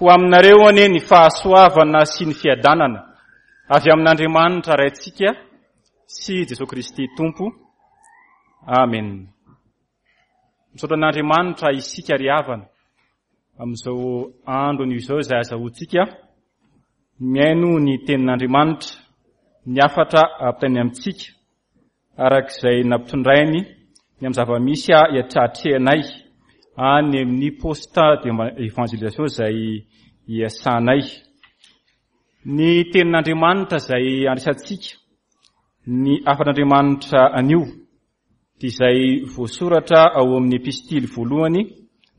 Ho aminareo anie ny fahasoavana sy ny fiadanana avy amin'Andriamanitra Raintsika sy Jesoa Kristy Tompo. Amen. Misaotra an'Andriamanitra isika ry havana amin'izao andro anio izao izay azahoantsika mihaino ny tenin'Andriamanitra, ny hafatra ampitainy amintsika araka izay nampitondrainy ny amin'ny zava-misy iatratrehanay any amin'ny poste d'évangélisation izay iasanay. Ny tenin'Andriamanitra izay andraisantsika ny hafatr'Andriamanitra anio dia izay voasoratra ao amin'ny epistily voalohany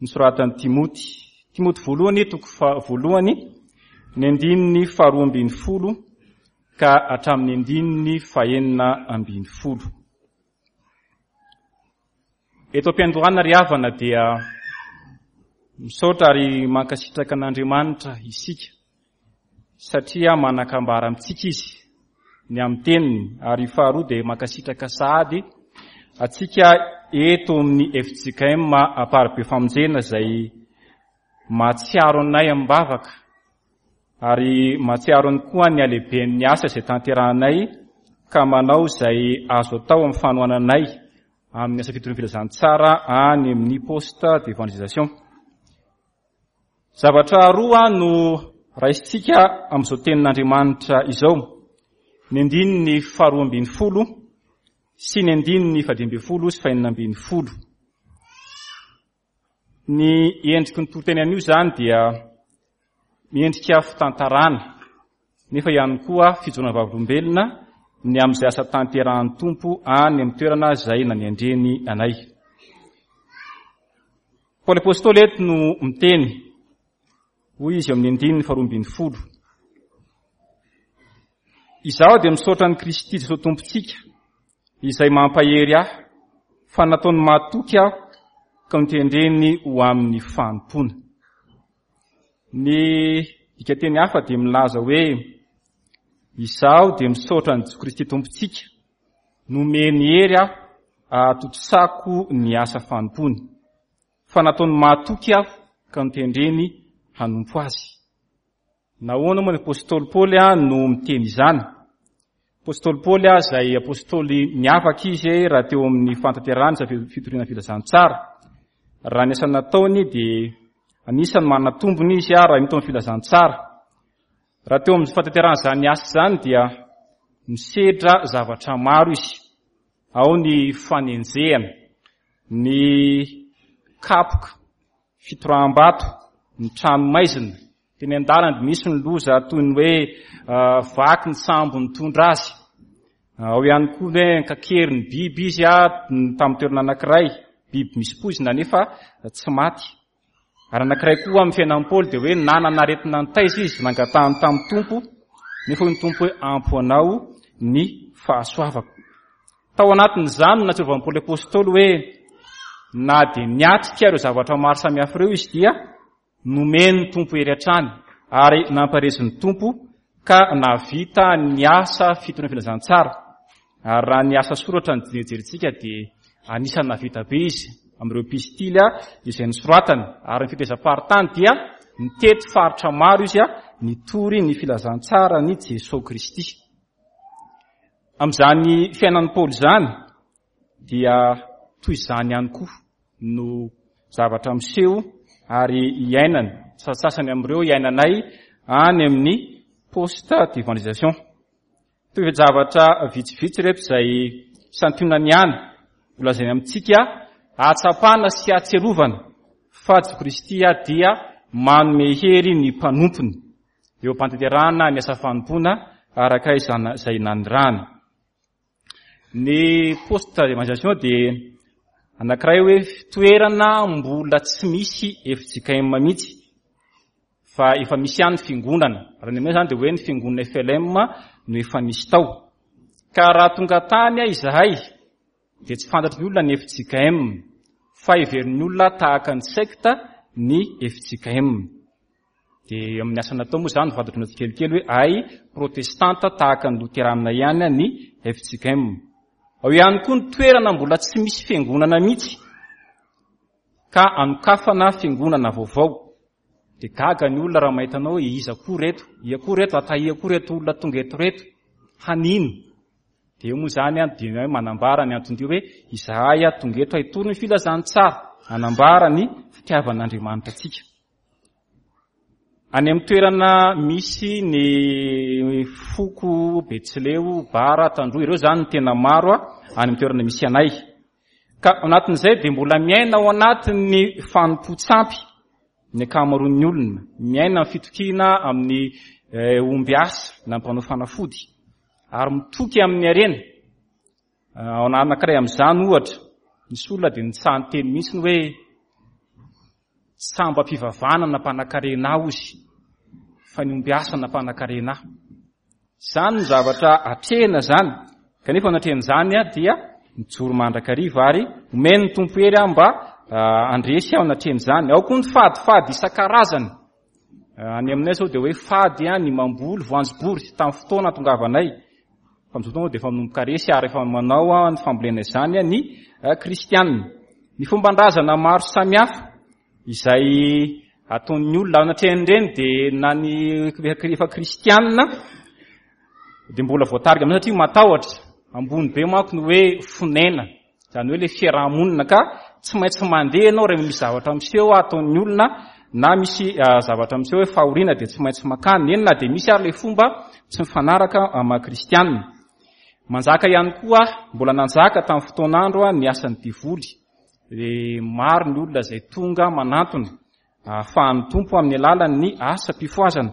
nosoratan'i Timoty. Timoty voalohany toko voalohany ny andininy faharoa ambin'ny folo ka hatramin'ny andininy fahenina ambin'ny folo. Eto am-piandohana ry havana dia misaotra ary mankasitraka an'Andriamanitra isika satria manan-kambara amintsika izy ny amin'ny teniny ary faharoa dia mankasitraka sahady antsika eto amin'ny FJKM Amparibe Famonjena izay mahatsiaro anay amim-bavaka ary mahatsiaro ny koa ny halehiben'ny asa izay tanterahanay ka manao izay azo atao amin'ny fanohananay amin'ny asa fitoriana filazantsara any amin'ny poste d'évangélisation. Zavatra roa no raisintsika amin'izao tenin'Andriamanitra izao, ny andininy faharoa ambin'ny folo sy ny andininy fahadimy ambin'ny folo sy fahenina ambin'ny folo. Ny endriky ny toriteny anio izany dia miendrika fitantarana nefa ihany koa fijoroana vavolombelona ny amin'izay asa tanterahan'ny Tompo any amin'ny toerana izay nanendreny anay. Paoly Apostoly eto no miteny, hoy izy eo amin'ny andininy faharoa ambin'ny folo. Izaho dia misaotra an'i Kristy Jesosy Tompontsika, izay mampahery ahy, fa nataony mahatoky aho ka notendreny ho amin'ny fanompoana. Ny dikanteny hafa dia milaza hoe, Izaho dia misaotra an'i Jesosy Kristy Tompontsika, nomeny hery aho ahatontosako ny asa fanompoany, fa nataony mahatoky aho ka notendreny hanompo azy. Nahoana moa ny apostoly Paoly no miteny izany? Apostoly Paoly izay apostoly miavaka izy raha teo amin'ny fahatanterahany izay fitoriana filazantsara. Raha ny asa nataony dia anisan'ny manana tombony izy raha mito amin'ny filazantsara. Raha teo amin'ny fahatanterahana izany asa izany dia misedra zavatra maro izy. Ao ny fanenjehana, ny kapoka, fitoraham-bato, ny trano maizina. Teny an-dalana dia nisy ny loza toy ny hoe vaky ny sambo nitondra azy. Ao ihany koa ny hoe nkakery ny biby izy tamin'ny toerana anankiray, biby misy poizina nefa tsy maty. Ary anankiray koa amin'ny fiainan'i Paoly dia hoe nanana aretina nitaiza izy, nangatahany tamin'ny Tompo, nefa hoy ny Tompo hoe ampy ho anao ny fahasoavako. Tao anatin'izany no nahatsiarovan'i Paoly Apostoly hoe na dia niatrika ireo zavatra maro samihafa ireo izy dia nomen'ny Tompo hery hatrany ary nampaherezin'ny Tompo ka nahavita ny asa fitoriana filazantsara. Ary raha ny asa soratra no jerentsika dia anisan'ny nahavita be izy amin'ireo epistily izay nosoratany. Ary ny fitezam-paritany dia nitety faritra maro izy nitory ny filazantsaran'i Jesoa Kristy. Amin'izany fiainan'i Paoly izany dia toy izany ihany koa no zavatra miseho ary iainany, sasasany amin'ireo iainanay any amin'ny poste d'évangélisation. Toe-javatra vitsivitsy ireto izay santionany ihany ho lazainy amintsika hahatsapana sy hahatsiarovana fa Jesoa Kristy dia manome hery ny mpanompony eo am-pantanterahana ny asa fanompoana araka izay nanirahany. Ny poste d'évangélisation dia anankiray hoe toerana mbola tsy misy fjkm mihitsy fa efa misy ihany ny fiangonana. Raha ny aminay izany dia hoe ny fiangonana FLM no efa nisy tao. Ka raha tonga tany izahay dia tsy fantatry ny olona ny fjkm fa heverin'ny olona tahaka ny sekta ny fjkm. Dia amin'ny asa natao moa izany fantatry ny tsikelikely hoe ay protestanta tahaka ny loteranina ihany ny fjkm. Ao ihany koa ny toerana mbola tsy misy fiangonana mihitsy ka anokafana fiangonana vaovao. Dia gaga ny olona raha mahita anao hoe iza koa reto, ia koa reto, atahia koa reto olona tonga eto reto, hanino. Dia eo moa izany an, dia manambara ny anton-dia hoe izahay tonga eto hitory ny filazantsara, hanambara ny fitiavan'Andriamanitra antsika. Any amin'ny toerana misy ny foko Betsileo, Bara, Tandroy, ireo izany no tena maro any amin'ny toerana misy anay. Ka ao anatin'izay dia mbola miaina ao anatin'ny fanompoan-tsampy ny ankamaroan'ny olona, miaina amin'ny fitokiana amin'ny eh, omby asa na mpanao fanafody ary mitoky amin'ny harena. Eh, ao anankiray amin'izany ohatra, nisy olona dia nitsaha niteny mihitsy ny hoe sambam-pivavahana nampanankarena ahy ozy fa ny omby asa nampanankarena ahy. Izany no zavatra atrehina izany, kanefa anatrehan'izany aho dia mijoro mandrakariva ary omen'ny Tompo hery aho mba handresy aho anatrehan'izany. Ao koa ny fadifady isan-karazany. Any aminay izao dia hoe fady ny mamboly voanjobory tamin'ny fotoana nahatongavanay. Fa amin'izao fotoana dia efa manomboka resy ary efa manao ny fambolena izany ny kristianina. Ny fomban-drazana maro samihafa izay ataon'ny olona ao anatrehan'ireny dia na ny efa kristianina dia mbola voatarika amin'izany satria matahotra. Ambony be manko ny hoe fonena, izany hoe ilay fiaraha-monina ka tsy maintsy mandeha ianao rehefa misy zavatra miseho ataon'ny olona na misy zavatra miseho hoe fahoriana dia tsy maintsy makany, eny na dia misy ary ilay fomba tsy mifanaraka amin'ny maha kristianina. Manjaka ihany koa, mbola nanjaka tamin'ny fotoan'andro ny asan'ny devoly. Dia maro ny olona izay tonga manantona ahafahan'ny Tompo amin'ny alalan'ny asam-pifohazana.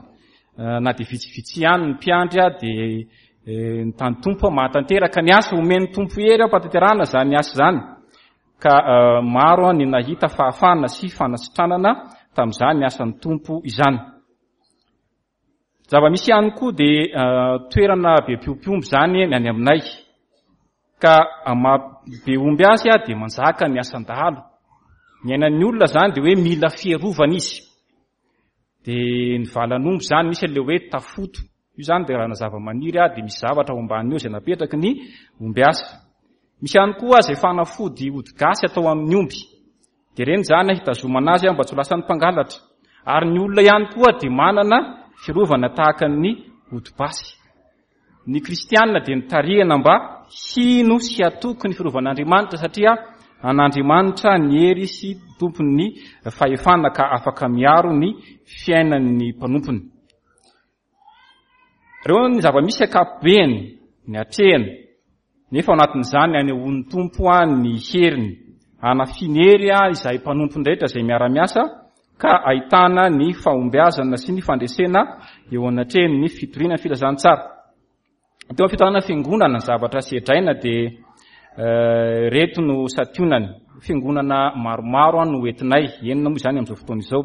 Na dia vitsivitsy ihany ny mpiandry dia ny tany Tompo mahatanteraka ny asa, omen'ny Tompo hery am-pahatanterahana izany asa izany. Ka maro ny nahita fahafahana sy fanasitranana tamin'izany asan'ny Tompo izany. Zava-misy ihany koa dia toerana be mpiompy omby izany ny any aminay. Ka maha be omby azy dia manjaka ny asan-dahalo. Ny ainan'ny olona izany dia hoe mila fiarovana izy. Dia ny valan'omby izany misy an'ilay hoe tafoto. Io izany dia raha zava-maniry dia misy zavatra ao ambaniny eo izay napetraky ny ombiasa. Misy ihany koa izay fanafody ody gasy atao amin'ny omby. Dia ireny izany hitazomana azy mba tsy ho lasan'ny mpangalatra. Ary ny olona ihany koa dia manana fiarovana tahaka ny ody basy. Ny kristiana dia nitarihana mba hino sy hatoky ny fiarovan'Andriamanitra satria an'Andriamanitra ny hery sy tompon'ny fahefana ka afaka miaro ny fiainan'ny mpanompony. Ireo ny zava-misy ankapobeny, ny atrehina, nefa ao anatin'izany anehoan'ny Tompo ny heriny, hanafiany hery izahay mpanompony rehetra izay miara-miasa ka ahitana ny fahombiazana sy ny fandresena eo anatrehan'ny fitoriana ny filazantsara. Teo amin'ny fitanana fiangonana, ny zavatra sedraina dia reto no santionany. Fiangonana maromaro no entinay, enina moa izany amin'izao fotoana izao.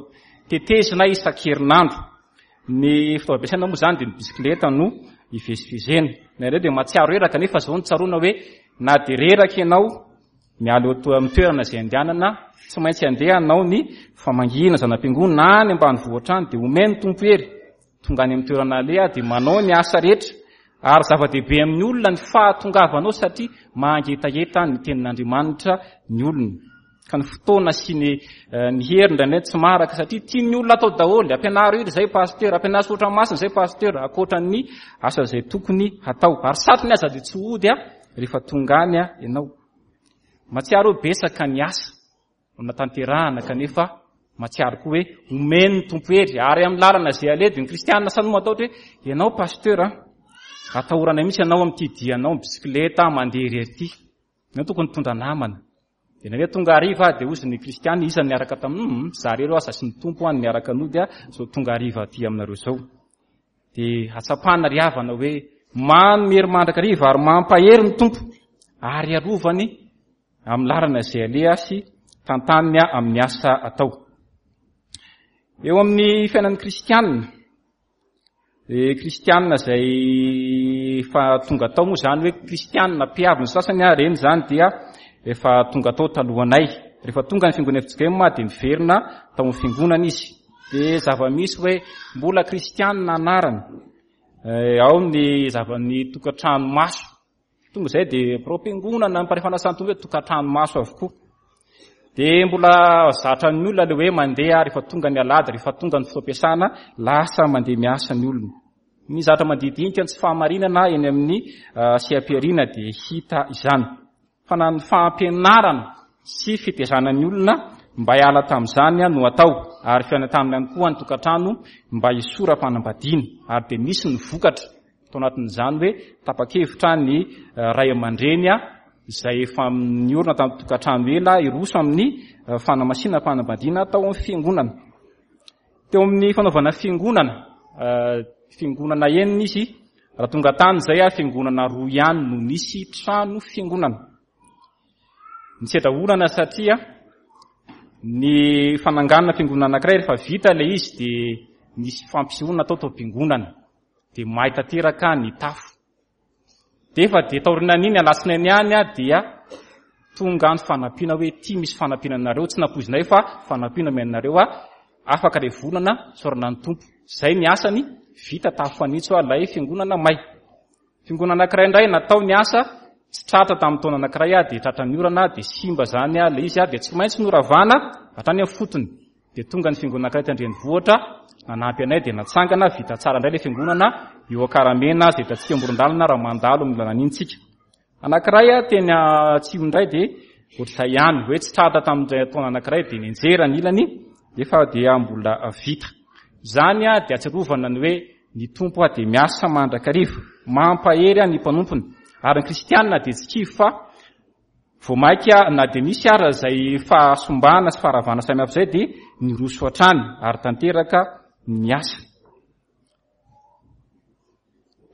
Tetezinay isan-kerinandro. Ny fitaovam-piasaina moa izany dia ny bisikileta no ivezivezena. Indraindray dia mahatsiaro reraka nefa izao no tsaroana hoe na dia reraka ianao miala eo amin'ny toerana izay andehanana, tsy maintsy andeha hanao ny famangiana zana-piangonana any ambanivohitra any dia omen'ny Tompo hery. Tonga any amin'ny toerana aleha dia manao ny asa rehetra ary zava-dehibe amin'ny olona ny fahatongavanao satria mangetaheta ny tenin'Andriamanitra ny olona. Ka ny fotoana sy ny eh, ny hery indraindray tsy maharaka satria tian'ny olona atao daholo. Ampianaro iry izay pasteur, ampianaro soratra masina izay pasteur, ankoatra ny asa izay tokony hatao. Ary satriny aza dia tsy hody a rehefa tonga any a ianao. Matsiaro hoe betsaka ny asa natanterahana kanefa matsiaro koa hoe omen'ny Tompo hery ary amin'ny lalana izay aleha dia ny kristianina samy matahotra hoe ianao pasteur a atahorana mihitsy ianao amin'ity dianao bisikileta mandeha irery ity. Ianao tokony mitondra namana. Dia nareo tonga hariva dia hozy ny kristiana iza niaraka tamin'ny hum za rero aza sy ny Tompo any niaraka nody a zao tonga hariva aty aminareo zao. Dia hatsapana ry havana hoe manome hery mandrakariva ary mampahery ny Tompo ary arovany amin'ny lalana izay aleha sy tantaniny amin'ny asa atao. Eo amin'ny fiainan'ny kristiana Dia kristianina izay efa tonga tao moa izany hoe kristianina mpiavy ny sasany ary ireny izany dia efa tonga tao talohanay. Rehefa tonga ny fiangonana FJKM dia miverina tao amin'ny fiangonana izy. Dia zava-misy hoe mbola kristianina anarany. Eh, ao ny zava-ny tokantrano maso. Tonga izay dia birao-piangonana, ny mparefa nasan'ny Tompo hoe tokantrano maso avokoa. Dia mbola zatra ny olona ilay hoe mandeha rehefa tonga ny alahady, rehefa tonga ny fotoam-piasana, lasa mandeha miasa ny olona. Ny zatra mandidinika ny tsy fahamarinana eny amin'ny seha-pihariana dia hita izany. Fa na ny fampianarana sy fitezana ny olona mba hiala tamin'izany no atao, ary fiainantanana ihany koa ny tokantrano mba hisora-panambadiana, ary dia misy ny vokatra tao anatin'izany hoe tapa-kevitra ny ray aman-dreny izay efa niorina tamin'ny tokantrano ela hiroso amin'ny fanamasinam-panambadiana tao amin'ny fiangonana. Teo amin'ny fanaovana fiangonana, fiangonana enina izy, raha tonga tany izay fiangonana roa ihany no nisy trano fiangonana. Nisedra olana satria ny fananganana fiangonana anankiray rehefa vita ilay izy dia nisy fampisehoana natao tao am-piangonana, dia may tanteraka ny tafo. Dia efa dia taorianan'iny alatsinainy ihany dia tonga ny fanampiana hoe ity misy fanampiana anareo, tsy nampoizinay fa fanampiana omena anareo afaka ilay volana, isaorana ny Tompo. Izay ny asany, vita tafo fanitso ilay fiangonana may. Fiangonana anankiray indray natao ny asa, tsy tratra tamin'ny taona anankiray dia tratran'ny orana dia simba izany ilay izy dia tsy maintsy noravana hatrany amin'ny fotony. Dia tonga ny fiangonana anankiray eto an-drenivohitra nanampy anay dia natsangana, vita tsara indray ilay fiangonana eo Ankaramena izay hitantsika amoron-dalana raha mandalo amin'ny lalana iny tsika. Anankiray teny Atsimo indray dia ohatr'izay ihany, hoe tsy tratra tamin'ilay taona anankiray dia nianjera ny ilany nefa dia mbola vita. Izany dia ahatsiarovana ny hoe ny Tompo dia miasa mandrakariva, mampahery ny mpanompony. Ary ny kristianina dia tsy kivy fa Vao mainka na dia nisy ara izay fahasombana sy faharavana samihafa izay dia niroso hatrany ary tanteraka ny asa.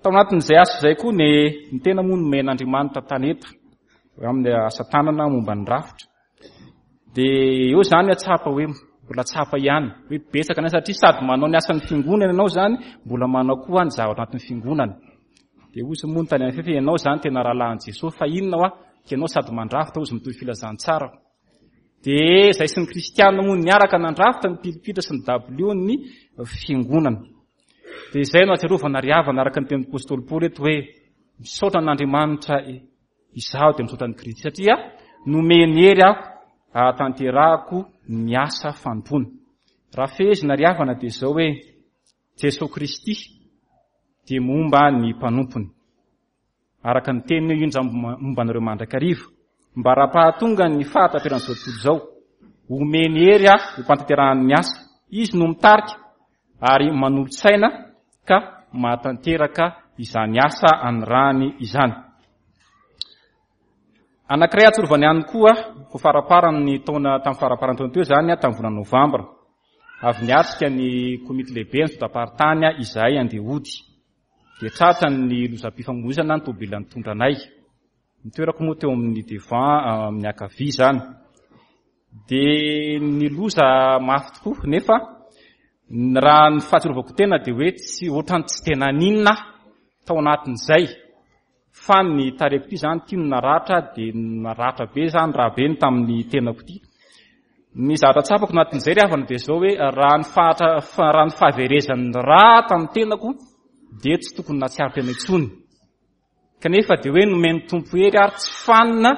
Tao anatin'izay asa izay koa ny ny tena moa nomen'Andriamanitra talenta amin'ny asa tanana momba ny rafitra. Dia eo izany atsapa hoe mbola tsapa ihany hoe betsaka ny satria sady manao ny asan'ny fiangonana ianao izany mbola manao koa ny zavatra anatin'ny fiangonana. Dia hozy moa ny tany amin'ny fefy, ianao izany tena rahalahin'i Jesosy, fa inona hoa, ka ianao sady mandrafitra hozy mitory filazantsara. Dia izay sy ny kristiana moa niaraka nandrafitra ny pilipitra sy ny dabilio ny fiangonana. Dia izay no ahatsiarovana ry havana araka ny tenin'ny apostoly Paoly eto hoe misaotra an'Andriamanitra izaho dia misaotra an'i Kristy satria nomeny hery aho ahatanterahako ny asa fanompoana. Raha fehezina ry havana dia izao hoe Jesoa Kristy dia momba ny mpanompony. Araka ny teniny hoe indro momba anareo mandrakariva, mba raha-pahatonga ny fahataperan'izao tontolo izao, omeny hery aho ho mpantanterahany ny asa. Izy no mitarika ary manolo-tsaina ka mahatanteraka izany asa anirahany izany. Anankiray atsorovany ihany koa, vao faramparan'ny taona, tamin'ny faramparan'ny taona teo izany, tamin'ny volana novambra, Avy niatrika ny komity lehibe ny sodam-paritany izahay handeha hody. Dia tratra ny lozam-pifamoivoizana ny tôbila nitondra anay. Ny toerako moa teo amin'ny devant amin'ny ankavia izany. Dia ny loza mafy tokoa nefa raha ny fahatsiarovako tena dia hoe tsy ohatran'ny tsy dia naninona aho tao anatin'izay. Fa ny tarehiko ity izany ity no naratra dia naratra be izany raha be ny tamin'ny tenako ity. Ny zavatra tsapako anatin'izay ry havana dia izao hoe raha ny fahatra raha ny fahaverezan'ny rà tamin'ny tenako dia tsy tokony nahatsiaro tena intsony. Kanefa dia hoe nomen'ny Tompo hery ary tsy fanina,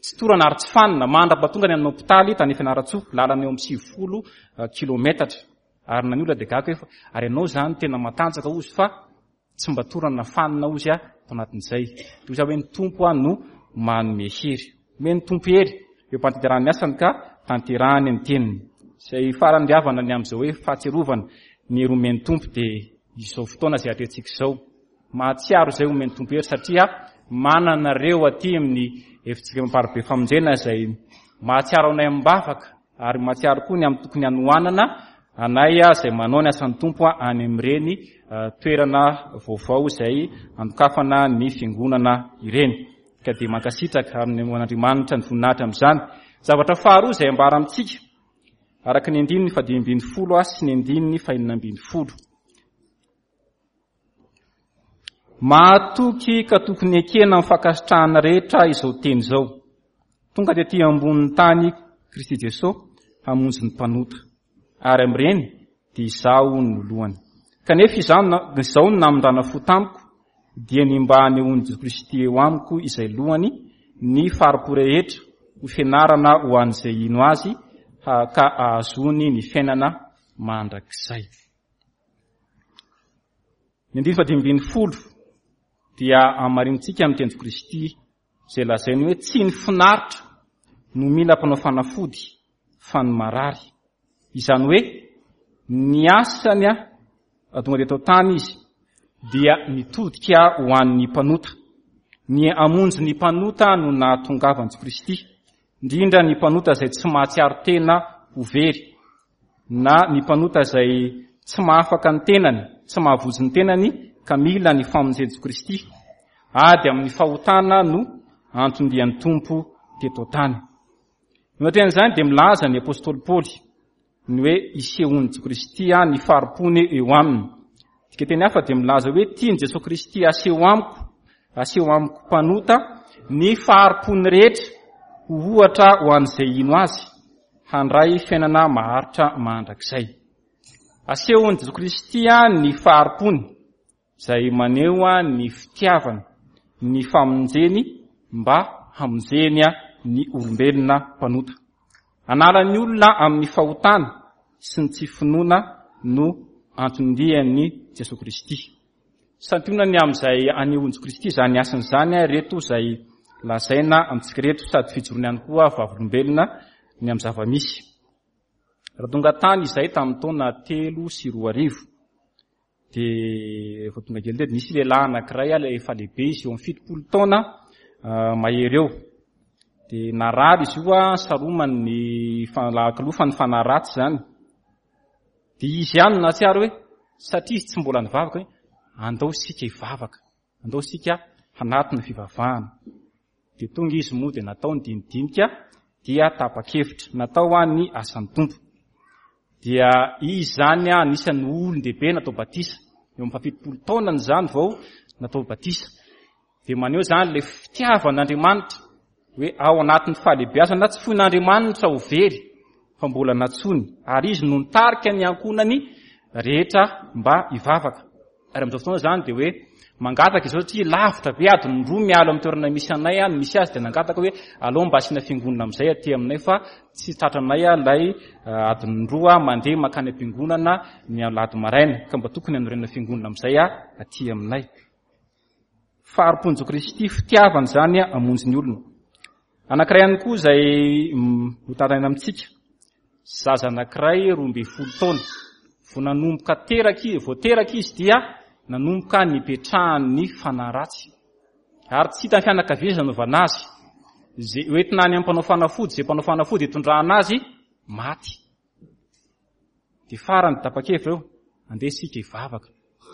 tsy torana ary tsy fanina mandra-pahatonga ny amin'ny hopitaly tany Fianarantsoa, lalana eo amin'ny 90 kilometatra. Ary na ny olona dia gaga hoe fa ary ianao izany tena matanjaka hozy fa Tsy mba torana fanina hozy aho tao anatin'izay. Dia hoy za hoe ny Tompo aho no manome hery. Omen'ny Tompo hery eo am-pantanterahany ny asany ka tanterahany ny teniny. Izay farany ry havana ny amin'izao hoe fahatsiarovana ny hery omen'ny Tompo dia izao fotoana izay atrehintsika izao. Mahatsiaro izay omen'ny Tompo hery satria manana anareo aty amin'ny efitrano Amparibe Famonjena izay mahatsiaro anay amim-bavaka ary mahatsiaro koa ny amin'ny tokony hanohanana anay izay manao ny asan'ny Tompo any amin'ireny toerana vaovao izay andokafana ny fiangonana ireny. Ka dia mankasitraka amin'ny an'Andriamanitra ny voninahitra amin'izany. Zavatra faharoa izay ambara amintsika, araka ny andininy fahadimy ambin'ny folo sy ny andininy fahenina ambin'ny folo. Mahatoky ka tokony ekena amin'ny fankasitrahana rehetra izao teny izao. Tonga tetỳ ambonin'ny tany Kristy Jesoa hamonjy ny mpanota, ary amin'ireny dia izaho no lohany. Kanefa izaho izao no namindrana fo tamiko, dia ny mba hanehoan'i Jesoa Kristy eo amiko izay lohany, ny fari-po rehetra. ho fianarana ho an'izay hino Azy ka hahazoany ny fiainana mandrakizay. Ny andininy fahadimy ambin'ny folo dia hamarinintsika amin'ny tenin'i Kristy izay lazainy hoe tsy ny finaritra no mila mpanao fanafody fa ny marary. Izany hoe ny asany a tonga teto tany izy dia nitodika ho an'ny mpanota. Ny hamonjy ny mpanota no nahatongavan'i Kristy, indrindra ny mpanota izay tsy mahatsiaro tena ho very, na ny mpanota izay tsy mahafaka ny tenany, tsy mahavonjy ny tenany ka mila ny famonjen'i Kristy. Ady amin'ny fahotana no anton-dian'ny Tompo teto tany. Ny ohatran'izany dia milaza ny apostoly Paoly ny hoe isehoan'i Kristy ny fari-pony eo aminy. Dika teny hafa dia milaza hoe tian'i Jesosy Kristy aseho amiko, aseho amiko mpanota ny fari-pony rehetra ho ohatra ho an'izay hino azy, handray fiainana maharitra mandrakizay. Asehon'i Jesosy Kristy ny fari-pony izay maneho ny fitiavany, ny famonjeny mba hamonjeny ny olombelona mpanota. Hanala ny olona amin'ny fahotana sy ny tsy finoana no anton-dian'i Jesosy Kristy. Santionany amin'izay anehoan'i Jesosy Kristy izany asany izany ireto izay lazaina amintsika ireto, sady fijoroany ihany koa vavolombelona ny amin'ny zava-misy. Raha tonga tany izay tamin'ny taona 2003, dia rehefa tonga kely teto, nisy lehilahy anankiray, ilay efa lehibe izy, eo amin'ny 70 taona mahery eo. Dia narary izy io, saromany ny lahakilofan'ny fanahy ratsy izany. Dia izy ihany no nahatsiaro hoe, satria izy tsy mbola nivavaka hoe, andao isika hivavaka, andao isika hanatona fivavahana. Dia tonga izy moa dia natao ny dinidinika dia tapa-kevitra. Natao ny asan'ny Tompo. Dia izy izany anisan'ny olon-dehibe natao batisa. Eo amin'ny faha-70 taonany izany vao natao batisa. Dia maneho izany ilay fitiavan'Andriamanitra hoe ao anatin'ny fahalehibeazana tsy foin'Andriamanitra ho very fa mbola nantsoiny. Ary izy no nitarika ny ankohonany rehetra mba hivavaka. Ary amin'izao fotoana izany dia hoe mangataka izao satria lavitra be, adiny roa miala amin'ny toerana misy anay no misy azy, dia nangataka hoe aleo mba asiana fiangonana amin'izay aty aminay fa tsy tratranay ilay adiny roa mandeha mankany am-piangonana ny alahady maraina, ka mba tokony hanorenana fiangonana amin'izay aty aminay. Fahari-pon'i Kristy, fitiavana izany hamonjy ny olona. Anankiray ihany koa izay hotantaraina amintsika, zaza anankiray 12 taona, vao nanomboka teraka izy, vao teraka izy dia nanomboka nipetrahan'ny fanahy ratsy. Ary tsy hitan'ny fianakaviana izay nanaovana azy. Izay hoentina any amin'ny mpanao fanafody, izay mpanao fanafody hitondrana azy, maty. Dia farany tapa-kevitra eo, andeha isika hivavaka.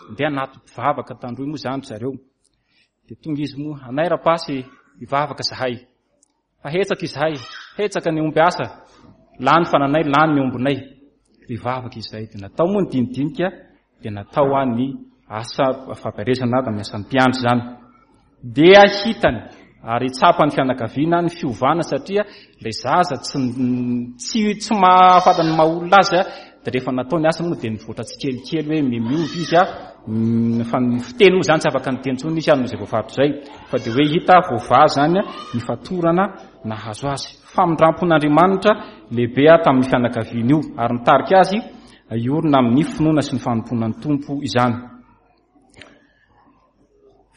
Andeha anaty mpivavaka tandroy moa izany ry zareo. Dia tonga izy moa, anay rapasy hivavaka zahay. Fa hetsaka izahay, hetsaka ny omby asa, lany fananay, lany ny ombinay. Hivavaka izahay. Dia natao moa ny dinidinika, dia natao ny asa fampielezana tamin'ny asan'ny mpiandry izany. Dia hitany ary tsapan'ny fianakaviana ny fiovana satria ilay zaza tsy mahafantatra ny maha olona azy, dia rehefa natao ny asa moa dia nivoatra tsikelikely hoe miova izy, fa ny fiteny moa izany tsy afaka niteny intsony izy noho izay voafaritra izay, fa dia hoe hita voavaha izany ny fatorana nahazo azy. Famindram-pon'Andriamanitra lehibe tamin'ny fianakaviana io ary nitarika azy hiorina amin'ny finoana sy ny fanompoana ny Tompo izany.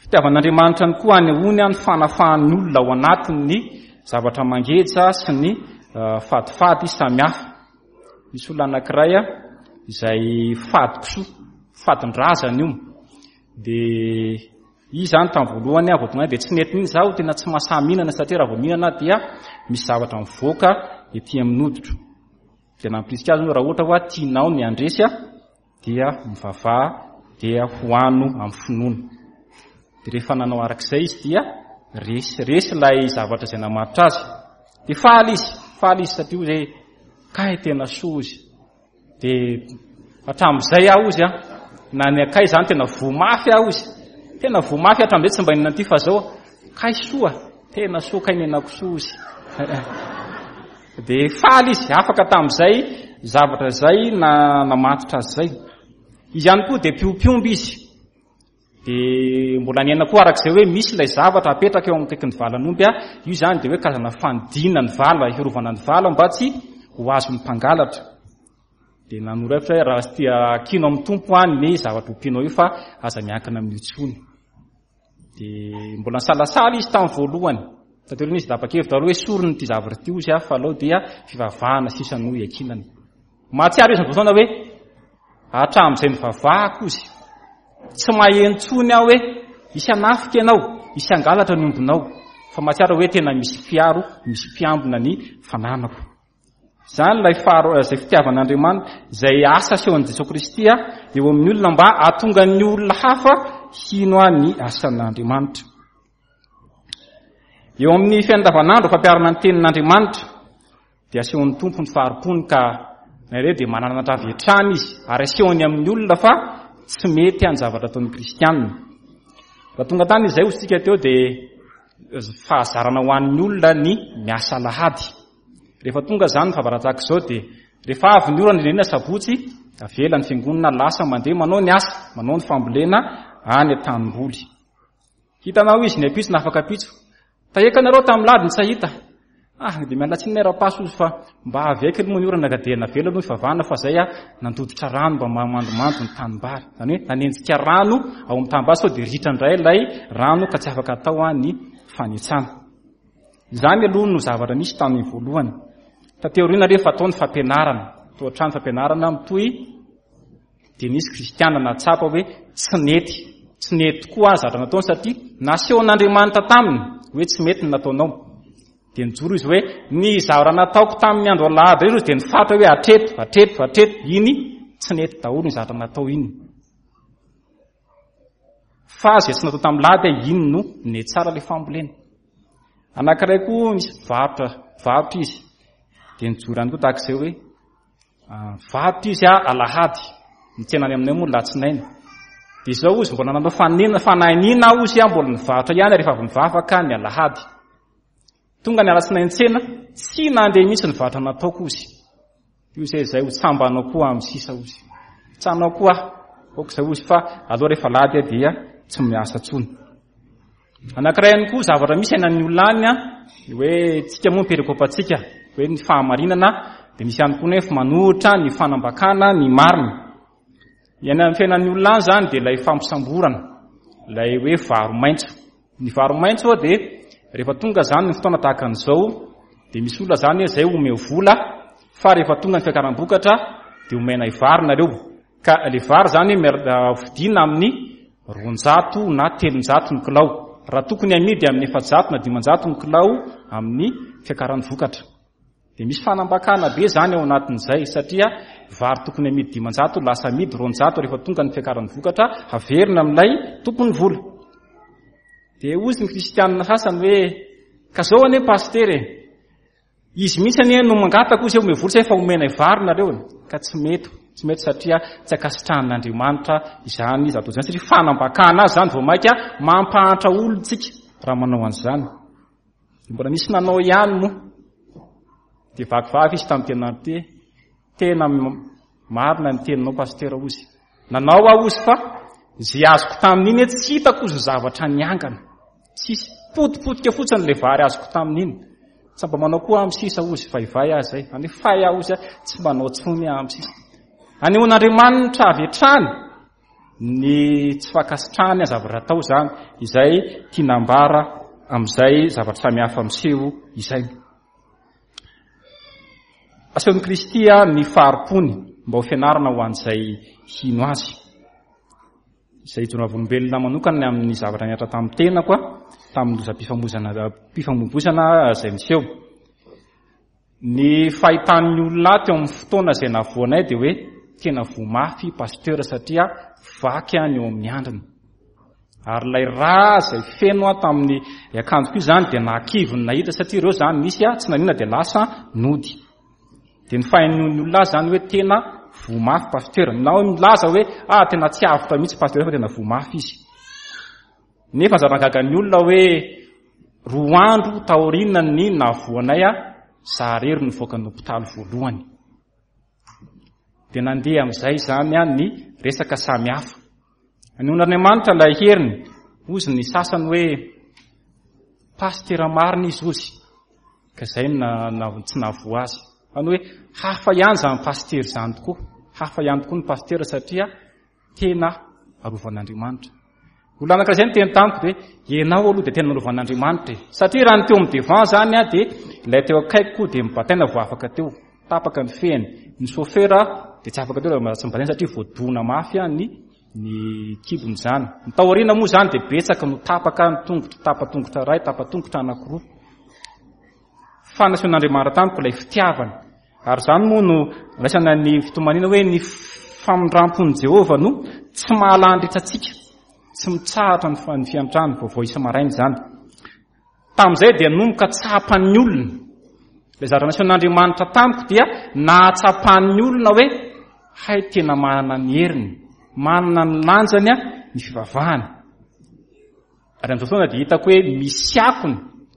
Fitiavan'Andriamanitra ny koa anehoany ny fanafahan'ny olona ao anatin'ny zavatra mangeja sy ny fadifady samihafa. Misy olona anankiray izay fady kisoa, fadin-drazana io. Dia izy izany tamin'ny voalohany vao tonga dia tsy nety mihitsy, izaho tena tsy mahasahy mihinana satria raha vao mihinana dia misy zavatra mivoaka ety amin'ny hoditro. Dia nampirisika azy hoe raha ohatra hoa tianao ny handresy dia mivavaha dia hohano amin'ny finoana. Dia rehefa nanao arak'izay izy dia resy, resy ilay zavatra izay namaritra azy. Dia faly izy, faly izy satria hoe kay tena soa izy. Dia hatramin'izay aho izy, na ny akay izany tena voa mafy aho izy. Tena voa mafy hatramin'izay tsy mba inona ity fa zao kay soa, tena soa kay nenako soa izy. Dia faly izy, afaka tamin'izay zavatra izay na namatotra azy izay. Izy ihany koa dia mpiompy omby izy. Dia mbola niaina koa araka izay hoe misy ilay zavatra apetraka eo akaikin'ny valan'omby, io izany dia hoe karazana fanidina ny vala, hiarovana ny vala mba tsy ho azon'ny mpangalatra. Dia nanoro hevitra hoe raha tsy tia ankino amin'ny Tompo any ny zavatra ompianao io fa aza miankina amin'io intsony. Dia mbola nisalasala izy tamin'ny voalohany. Taty aoriana izy tapa-kevitra aloha hoe sorony ity zavatra ity hozy fa aleo dia fivavahana sisa no iankinana. Mahatsiaro izy voataona hoe hatramin'izay nivavahako izy. Tsy maheno intsony aho hoe hisy hanafika ianao, hisy hangalatra ny ombinao. Fa mahatsiaro hoe tena misy mpiaro, misy mpiambina ny fananako. Izany ilay faharo izay fitiavan'Andriamanitra, izay asa asehon'i Jesoa Kristy eo amin'ny olona mba hahatonga ny olona hafa hino ny asan'Andriamanitra. Eo amin'ny fiainandavanandro fampiharana ny tenin'Andriamanitra dia asehon'ny Tompo ny fahari-pony ka na ireo dia mananatra avy hatrany izy ary asehony amin'ny olona fa tsy mety ny zavatra ataon'ny kristianina. Raha tonga tany izay hoy isika teo dia fahazarana ho an'ny olona ny miasa alahady. Rehefa tonga izany ny fahavaratra tahaka izao dia rehefa avy ny orana indrindra sabotsy, avela ny fiangonana lasa mandeha manao ny asa, manao ny fambolena any an-tanimboly. Hitanao izy ny ampitso na afaka ampitso. Taheka anareo tamin'ny lady ny tsy hahita. Ah, dia miala tsiny ny rapaso izy fa mba avy aiky moa ny orana ka dia navela aloha ny favana fa zay ah nandototra rano mba mamandomando ny tanimbary. Izany hoe nanenjika rano ao amin'ny tanimbary sao dia ritra indray ilay rano ka tsy afaka atao ah ny fanetsana. Izany aloha no zavatra nisy tamin'ny voalohany. Taty aoriana rehefa atao ny fampianarana, toa hatrany fampianarana mitohy dia nisy kristiana nahatsapa hoe tsy nety, tsy nety tokoa aza zavatra nataony satria nasehon'Andriamanitra taminy hoe tsy mety ny nataonao. Dia nijoro izy hoe ny zavatra nataoko tamin'ny andro alahady ireo dia nifatra hoe hatreto, hatreto, hatreto, iny tsy nety daholo ny zavatra natao iny. Fa izay tsy natao tamin'ny lahady iny no nety tsara ilay fambolena. Anankiray koa misy mpivarotra, mpivarotra izy. Dia nijoro ihany koa tahaka izay hoe Mivarotra izy alahady, ny tsena any aminay moa latsinainy. Dia izao ozy mbola nanao fanena, fanahiniana aho ozy mbola nivarotra ihany rehefa avy nivavaka ny alahady. Tonga ny alatsinainy tsena, tsy nandeha mihitsy ny varotra nataoko ozy. Io izay izay ho tsambanao koa amin'ny sisa ozy. Tsanao koa aho, aoka izay ozy fa aleo rehefa alahady dia tsy miasa intsony. Anankiray ihany koa zavatra misy ainan'ny olona any an, ny hoe tsika moa ny perikopantsika, hoe ny fahamarinana, dia misy ihany koa nefa manohitra ny fanambakana ny marina. Ny any fiainan'ny olona any izany dia ilay fampisamborana, ilay hoe varo maitso. Ny varo maitso dia rehefa tonga izany ny fotoana tahaka an'izao dia misy olona izany hoe izay omeo vola fa rehefa tonga ny fiakaram-bokatra dia omenay vary nareo. Ka le vary zany vidiana amin'ny 200 na 300 ny kilao. Raha tokony amidy amin'ny 400 na 500 ny kilao amin'ny fiakaran'ny vokatra. Dia misy fanambakana be zany ao anatin'izay satria vary tokony amidy 500 lasa amidy 200 rehefa tonga ny fiakaran'ny vokatra haverina amin'ilay tompon'ny vola. Dia hozy ny kristianina sasany hoe ka zao anie pasitera e. Izy mihitsy anie no mangataka ozy hoe omeo vola zay fa omenay vary nareo e. Ka tsy mety, tsy mety satria tsy ankasitrahan'Andriamanitra izany izy atao izany satria fanambakana azy izany vao maika mampahantra olona tsika raha manao an'izany. Dia mbola nisy nanao ihany moa. Dia vakivavy izy tamin'ny tena ity. Tena marina ny teninao pasitera ozy. Nanao aho ozy fa izay azoko tamin'iny tsy hitako ozy ny zavatra niangana. Tsisy potipotika fotsiny ilay vary azoko tamin'iny. Tsy mba manao koa amin'ny sisa ozy vaivay aho izay. Any fay aho ozy tsy manao tsony aho amin'ny sisa. Anehoan'Andriamanitra avy hatrany ny tsy fankasitrahany ny zavatra atao izany izay tiana ambara amin'izay zavatra samihafa miseho izay. Asehon'i Kristy ny fahari-pony mba ho fianarana ho an'izay hino azy. Izay ijoroana volombelona manokana amin'ny zavatra nihatra tamin'ny tenako tamin'ny lozam-pifamoizana pifamoivoizana izay niseho. Ny fahitan'ny olona ahy teo amin'ny fotoana izay navoanay dia hoe tena voa mafy pasteur satria vaky any eo amin'ny andriny. Ary ilay rà izay feno aho tamin'ny akanjoko io izany dia nahakivy ny nahita satria ireo izany nisy aho tsy nanina dia lasa nody. Dia ny fahainoan'ny olona azy izany hoe tena voa mafy pasteur. Na hoe milaza hoe ah tena tsy avotra mihitsy pasteur fa tena voa mafy izy. Nefa zava-gaga ny olona hoe roa andro taorian'ny nahavoanay aho, za irery no nivoaka ny hopitaly voalohany. Dia nandeha amin'izay izany ny resaka samihafa. Anon'Andriamanitra ilay heriny, hozy ny sasany hoe pasitera marina izy hozy, ka izay no na, tsy nahavoa azy. Fa ny hoe hafa ihany izany pasitera izany tokoa, hafa ihany tokoa ny pasitera satria tena arovan'Andriamanitra. Olona anankiray izay niteny tamiko dia hoe ianao aloha dia tena narovan'Andriamanitra e. Satria raha ny teo amin'ny devant izany aho dia ilay teo akaikiko dia mibataina vao afaka teo. Tapaka ny fehiny. Ny chauffeur dia tsy afaka teo raha tsy mibataina satria voadona mafy ny ny kibony izany. Ny tao aoriana moa izany dia betsaka no tapaka ny tongotra, tapa-tongotra iray, tapa-tongotra anankiroa. Fa nasehon'Andriamanitra tamiko ilay fitiavany. Ary izany moa no raisana ny fitomaniana hoe ny famindram-pon'i Jehovah no tsy mahalandritra antsika, tsy mitsahatra ny fiantrany vaovao isa-maraina izany. Tamin'izay dia nomboka tsapan'ny olona. Ilay zavatra nasehon'Andriamanitra tamiko dia nahatsapan'ny olona hoe hay tena manana ny heriny, manana ny lanjany ny fivavahana. Ary amin'izao fotoana dia hitako hoe misy akony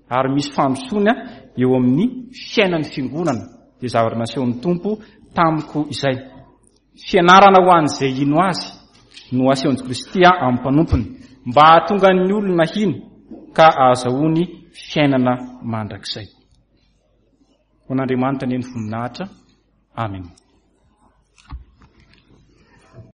ary misy fandrosoana eo amin'ny fiainan'ny fiangonana, dia zavatra nasehon'ny Tompo tamiko izay. Fianarana ho an'izay hino Azy no asehon'i Kristy amin'ny mpanompony, mba hahatonga ny olona hino ka hahazahoany fiainana mandrakizay. Ho an'Andriamanitra anie ny voninahitra. Amena.